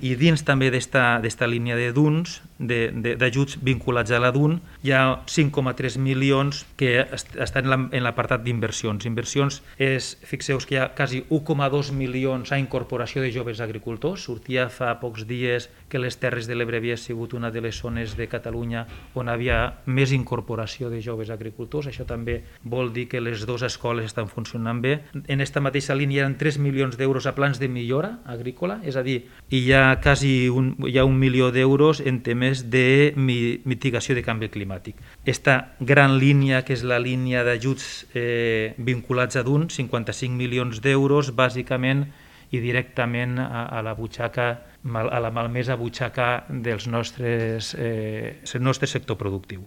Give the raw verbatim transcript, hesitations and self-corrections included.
I dins també d'esta línia de D U Ns, d'ajuts vinculats a la D U N, hi ha cinc coma tres milions que estan en l'apartat d'inversions. Inversions és, fixeu-vos que hi ha quasi un coma dos milions a incorporació de joves agricultors. Sortia fa pocs dies que les Terres de l'Ebre havia sigut una de les zones de Catalunya on havia més incorporació de joves agricultors. Això també vol dir que les dues escoles estan funcionant bé. En aquesta mateixa línia hi ha tres milions d'euros a plans de millora agrícola, és a dir, hi ha quasi un, hi ha un milió d'euros en temes de mitigació de canvi climàtic. Esta gran línia, que és la línia d'ajuts eh, vinculats a D U N, cinquanta-cinc milions d'euros, bàsicament i directament a, a la butxaca, a la malmesa butxaca dels nostres, eh, del nostre sector productiu.